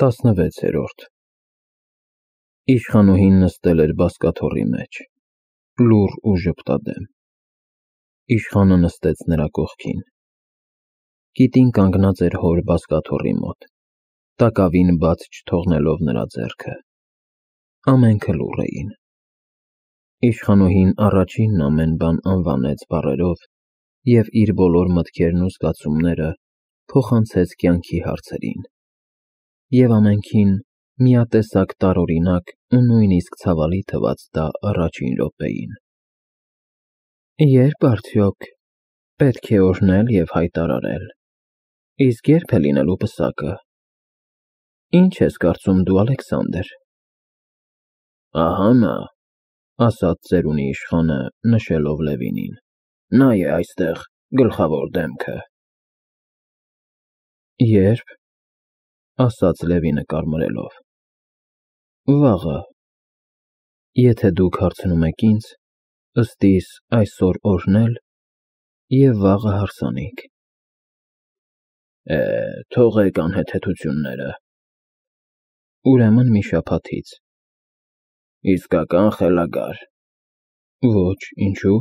16-րդ Իշխանուհին նստել էր բազկաթոռի մեջ, լուռ ու ժպտադեմ, իշխանը նստեց նրա կողքին, կիտին կանգնած էր հոր բազկաթոռի մոտ, տակավին բաց չթողնելով նրա ձեռքը, ամենքը լուռ էին, իշխանուհին առաջինն ամեն բան անվանեց բառերով և իր բոլոր մտքերն ու զգացումները փոխանցեց կյանքի հարցերին, և ամենքին միատեսակ տարօրինակ ու նույնիսկ ցավալի թվաց դա առաջին րոպեին. Ե՞րբ արդյոք պետք է օրհնել և հայտարարել, իսկ ե՞րբ է լինելու պսակը, ինչ ես կարծում դու, Ալեքսանդր: Ահա նա, ասաց ծերունի իշխանը, նշելով Լևինին, նա է այստեղ գլխավոր դեմքը: Ե՞րբ, ասաց Լևինը կարմրելով, վաղը, եթե դուք հարցնում եք ինձ, ըստ իս այսօր օրհնել և վաղը հարսանիք: Թողեք անհեթեթությունները: Ուրեմն մի շաբաթից: Իսկական խելագար: Ոչ, ինչու: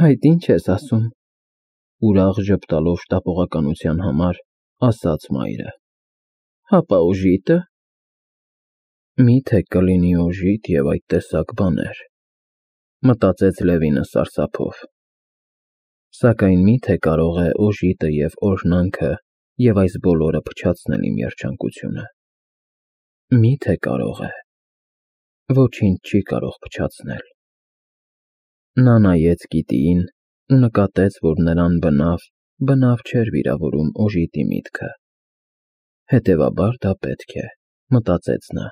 Այդ ի՞նչ ես ասում, ուրախ ժպտալով շտապողականության համար, ասաց մայրը: Հապա օժիտը: Մի՞թե կլինի օժիտ և այդ տեսակ բաներ, մտածեց Լևինը սարսափով, սակայն մի՞թե կարող է օժիտը և օրհնանքը և այս բոլորը փչացնել իմ երջանկությունը: Մի՞թե կարող է: Ոչինչ չի կարող փչացնել: Նա նայեց կիտիին ու նկատեց, որ նրան բնավ չէր վիրավորում օժիտի միտքը: Հետևաբար դա պետք է, մտածեց նա: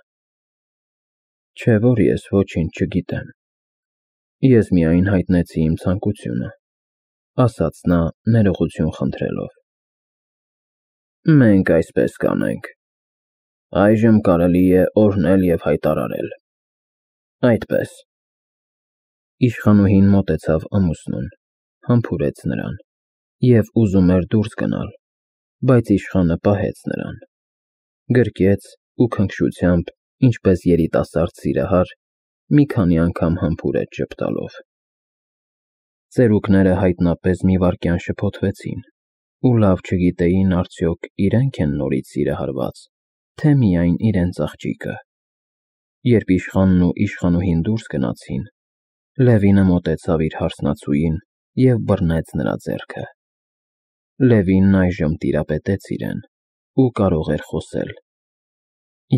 Չէ որ ես ոչինչ չգիտեմ: Ես միայն հայտնեցի իմ ցանկությունը, ասաց նա ներողություն խնդրելով: Մենք այսպես կանենք: Այժմ կարելի է օրհնել և հայտարարել: Այդպես: Իշխանուհին մոտեցավ ամուսնուն, համբուրեց նրան և ուզում էր դուրս գնալ, բայց իշխանը պահեց նրան, գրկեց ու քնքշությամբ, ինչպես երիտասարդ սիրահար, մի քանի անգամ համբուրեց ժպտալով: Ծերուկները հայտնապես մի վայրկյան շփոթվեցին ու լավ չգիտեին արդյոք իրենք են նորից սիրահարված, թե միայն իրենց աղջիկը: Երբ իշխանն ու իշխանուհին դուրս գնացին, Լևինը մոտեցավ իր հարսնացուին և բռնեց նրա ձեռքը: Լևինն այժմ տիրապետեց իրեն ու կարող էր խոսել,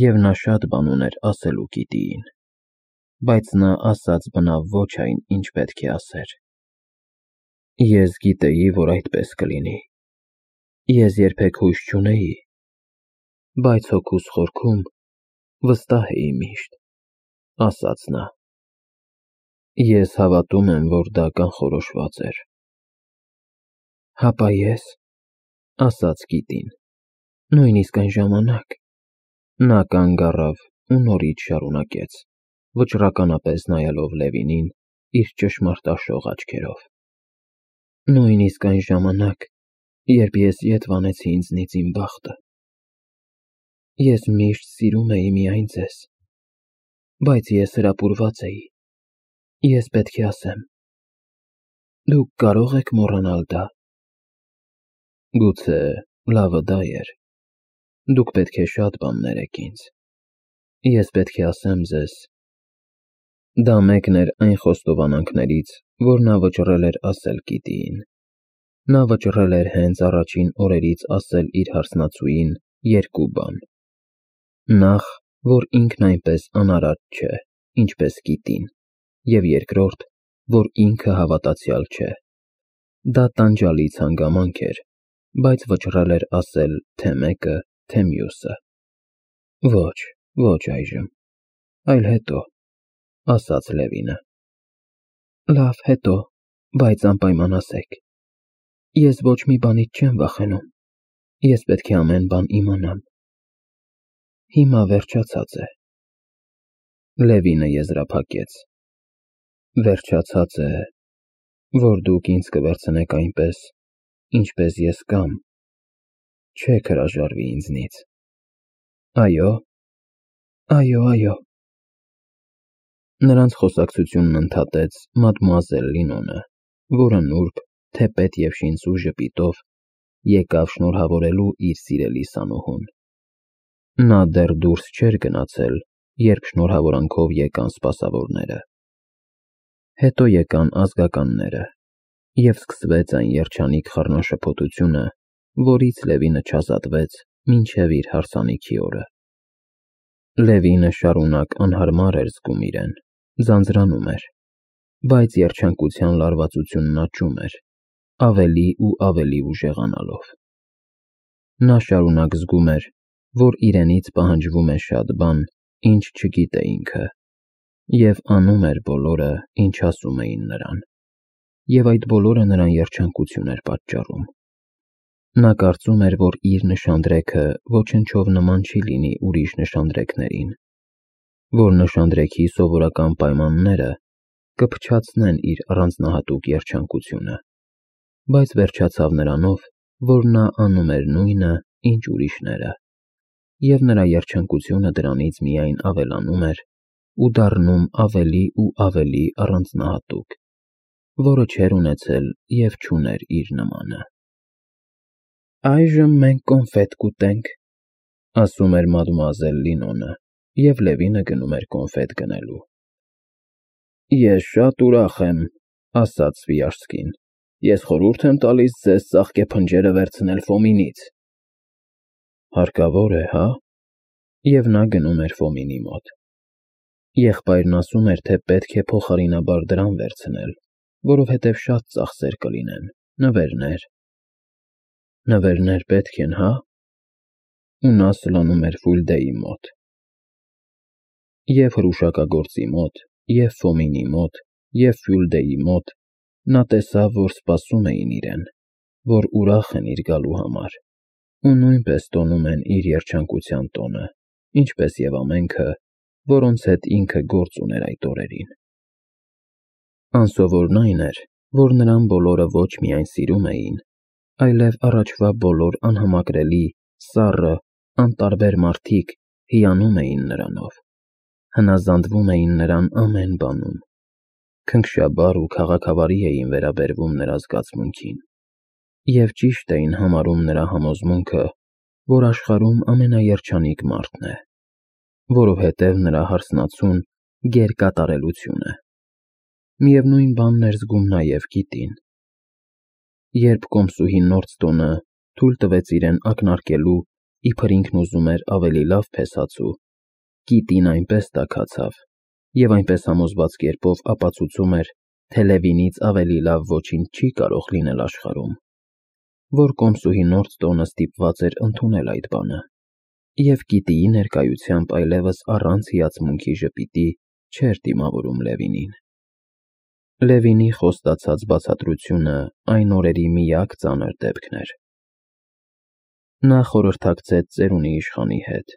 և նա շատ բան ուներ ասելու կիտիին, բայց նա ասաց բնավ ոչ այն, ինչ պետք է ասեր: Ես գիտեի, որ այդպես կլինի: Ես երբեք հույս չունեի, բայց հոգուս խորքում վստահ էի միշտ, ասաց նա: Ես հավատում եմ, որ դա կանխորոշված էր: Հապա ես, ասաց կիտին, նույնիսկ այն ժամանակ: Նա կանգ առավ ու նորից շարունակեց, վճռականապես նայելով Լևինին իր ճշմարտաշող աչքերով: Նույնիսկ այն ժամանակ, երբ ես ետ վանեցի ինձնից իմ բախտը: Ես միշտ սիրում էի միայն ձեզ, բայց ես հրապուրված էի: Ես պետք է ասեմ: Դուք կարո՞ղ եք մոռանալ դա: Գուցե լավը դա էր: Դուք պետք է շատ բաներ եք ինձ: Ես պետք է ասեմ ձեզ: Դա մեկն էր այն խոստովանանքներից, որ նա վճռել էր ասել կիտիին: Նա վճռել էր հենց առաջին օրերից ասել իր հարսնացուին երկու բան: Նախ, որ ինքն այնպես անարատ չէ, ինչպես կիտին, և երկրորդ, որ ինքը հավատացյալ չէ: Դա տանջալից հանգամանք էր, բայց վճռել էր ասել թե մեկը, թե մյուսը: Ոչ այժմ, այլ հետո, ասաց Լևինը: Լավ, հետո, բայց անպայման ասեք: Ես ոչ մի բանից չեմ վախենում: Ես պետք է ամեն բան իմանամ: Հիմա վերջացած է: Լևինը եզրափակեց: Վերջացած է, որ դուք ինձ կվերցնեք այնպես, ինչպես ես կամ չեք հրաժարվի ինձնից: Այո, այո։ Նրանց խոսակցությունն ընդհատեց մադմուազել Լինոնը, որը նուրբ, թեպետ և շինծու ժպիտով եկավ շնորհավորելու իր սիրելի սանուհուն։ Նա դեռ դուրս չէր գնացել, երբ շնորհավորանքով եկան սպասավորները։ Հետո եկան ազգականները, և սկսվեց այն երջանիկ խառնաշփոթությունը, որից Լևինը չազատվեց մինչև իր հարսանիքի օրը։ Լևինը շարունակ անհարմար էր զգում իրեն, ձանձրանում էր, բայց երջանկության լարվածությունն աճում էր, ավելի ու ավելի ուժեղանալով։ Նա շարունակ զգում էր, որ իրենից պահանջվում է շատ բան, ինչ չգիտե ինքը, և անում էր բոլորը, ինչ ասում էին նրան, և այդ բոլորը նրան երջանկություն էր պատճառում։ Նա կարծում էր, որ իր նշանդրեքը ոչնչով նման չի լինի ուրիշ նշանդրեքներին, որ նշանդրեքի սովորական պայմանները կփչացնեն իր առանձնահատուկ երջանկությունը, բայց վերջացավ նրանով, որ նա անում էր նույնը, ինչ ուրիշները, և նրա երջանկությունը դրանից միայն ավելանում էր ու դառնում ավելի ու ավելի առանձնահատուկ, որը չէր ունեցել և չուներ իր նմանը։ «Այժմ մենք կոնֆետ կուտենք», ասում էր մադմուազել Լինոնը, և Լևինը գնում էր կոնֆետ գնելու։ «Ես շատ ուրախ եմ», ասաց Սվիաժսկին։ «Ես խորհուրդ եմ տալիս ձեզ ծաղկե փնջերը վերցնել Ֆոմինից»։ Հարկավոր է, հա՞։ Եվ նա գնում էր Ֆոմինի մոտ։ Եղբայրն ասում էր, թե պետք է փոխարինաբար դրամ վերցնել, որովհետև շատ ծախսեր կլինեն, նվերներ։ Նվերներ պետք են, հա՞։ Ու նա սլանում էր Ֆուլդեի մոտ։ Եվ հրուշակագործի մոտ, և Ֆոմինի մոտ, և Ֆյուլդեի մոտ նա տեսավ, որ սպասում էին իրեն, որ ուրախ են իր գալու համար, ու նույնպես տոնում են իր երջանկության տոնը, ինչպես և ամենքը, որոնց հետ ինքը գործ ուներ այդ օրերին։ Անսովորն այն էր, որ նրան բոլորը ոչ միայն սիրում էին, այլև առաջվա բոլոր անհամակրելի, սառը, անտարբեր մարդիկ հիանում էին նրանով, հնազանդվում էին նրան ամեն բանում, քնքշաբար ու քաղաքավարի էին վերաբերվում նրա զգացմունքին, և ճիշտ էին համարում նրա համոզմունքը, որ աշխարհում ամենաերջանիկ մարդն է, որովհետև նրա հարսնացուն գերկատարելություն է։ Միևնույն բանն էր զգում նաև Կիտին։ Երբ կոմսուհի Նորդստոնը թույլ տվեց իրեն ակնարկելու, իբր ինքն ուզում էր ավելի լավ փեսացու, Կիտին այնպես տաքացավ և այնպես համոզված կերպով ապացուցում էր, թե Լևինից ավելի լավ ոչինչ չի կարող լինել աշխարհում, որ կոմսուհի Նորդստոնը ստիպված էր ընդունել այդ բանը, և Կիտիի ներկայությամբ այլևս առանց հիացմունքի ժպիտի չէր դիմավորում Լևինին։ Լևինի խոստացած բացատրությունը այն օրերի միակ ծանր դեպքն էր։ Նա խորհրդակցեց ծերունի իշխանի հետ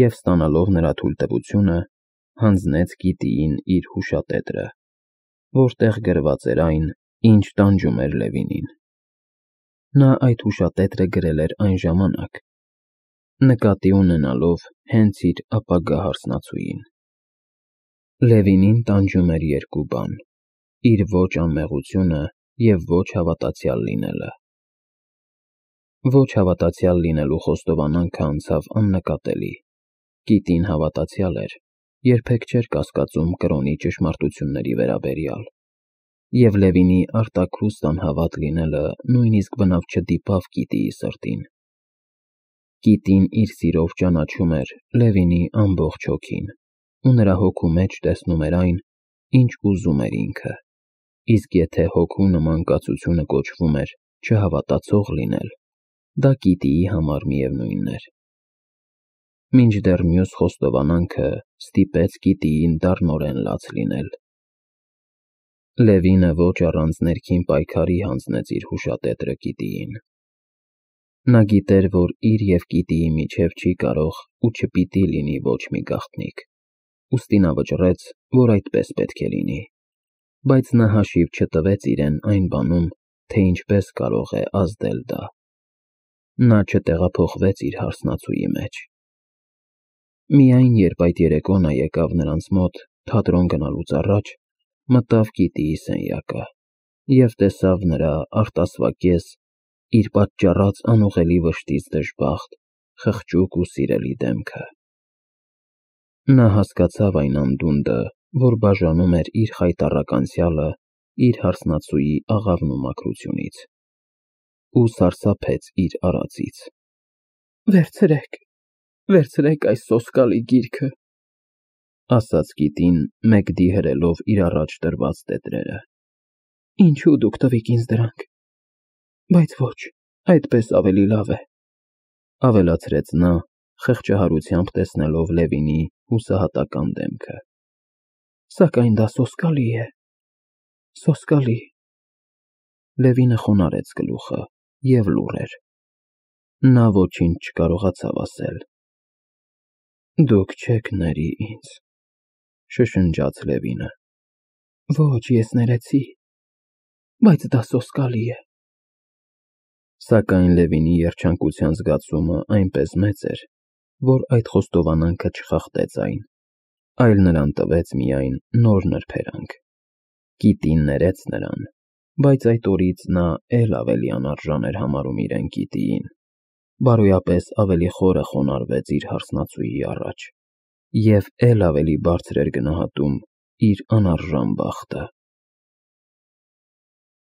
և, ստանալով նրա թույլտվությունը, հանձնեց Կիտիին իր հուշատետրը, որտեղ գրված էր այն, ինչ տանջում էր Լևինին։ Նա այդ հուշատետրը գրել էր այն ժամանակ, նկատի ունենալով հենց իր ապագա հարսնացուին։ Լևինին տանջում էր երկու բան՝ իր ոչ անմեղությունը և ոչ հավատացյալ լինելը։ Ոչ հավատացյալ լինելու խոստովանանքը անցավ աննկատելի։ Կիտին հավատացյալ էր, երբեք չէր կասկածում կրոնի ճշմարտությունների վերաբերյալ, և Լևինի արտաքուստ անհավատ լինելը նույնիսկ բնավ չդիպավ Կիտիի սրտին։ Կիտին իր սիրով ճանաչում էր Լևինի ամբողջ հոգին ու նրա հոգու մեջ տեսնում էր այն, ինչ ուզում էր ինքը, իսկ եթե հոգու նման կացությունը կոչվում էր չհավատացող լինել, դա Կիտիի համար միևնույնն էր։ Մինչդեռ մյուս խոստովանանքը ստիպեց Կիտիին դառնորեն լաց լինել։ Լևինը ոչ առանց ներքին պայքարի հանձնեց իր հուշատետրը Կիտիին։ Նա գիտեր, որ իր և Կիտիի միջև չի կարող ու չպիտի լինի ոչ մի գաղտնիք, ուստի նա վճռեց, որ այդպես պետք է լինի, բայց նա հաշիվ չտվեց իրեն այն բանում, թե ինչպես կարող է ազդել դա։ Նա չտեղափոխվեց իր հարսնացուի մեջ։ Միայն երբ այդ երեկո նա եկավ նրանց մոտ թատրոն գնալուց առաջ, մտավ Կիտիի սենյակը և տեսավ նրա արտասվա կես, իր պատճառած անուղելի վշտից դժբախտ, խղճուկ ու սիրելի դեմքը։ Նա հասկացավ այն անդունդը, որ բաժանում էր իր խայտառակ անցյալը իր հարսնացուի աղավնու մաքրությունից, ու սարսափեց իր արածից։ Վերցրեք այս սոսկալի գիրքը, ասաց Կիտին, մեգդի հրելով իր առաջ դրված տետրերը։ Ինչու դուք տվիք ինձ դրանք, բայց ոչ, այդպես ավելի լավ է, ավելացրեց նա, խղճահարությամբ տեսնելով Լևինի հուսահատական դեմքը։ Սակայն դա սոսկալի է, սոսկալի։ Լևինը խոնարհեց գլուխը և լուռ էր։ Նա ոչինչ չկարողացավ ասել։ Դուք չեք ների ինձ, շշնջաց Լևինը։ Ոչ, ես ներեցի, բայց դա սոսկալի է։ Սակայն Լևինի երջանկության զգացումը այնպես մեծ էր, որ այդ խոստովանանքը չխախտեց այն, այլ նրան տվեց միայն նոր նրբերանգ։ Կիտին ներեց նրան, բայց այդ օրից նա էլ ավելի անարժան էր համարում իրեն Կիտիին, բարոյապես ավելի խորը խոնարհվեց իր հարսնացուի առաջ և էլ ավելի բարձր էր գնահատում իր անարժան բախտը։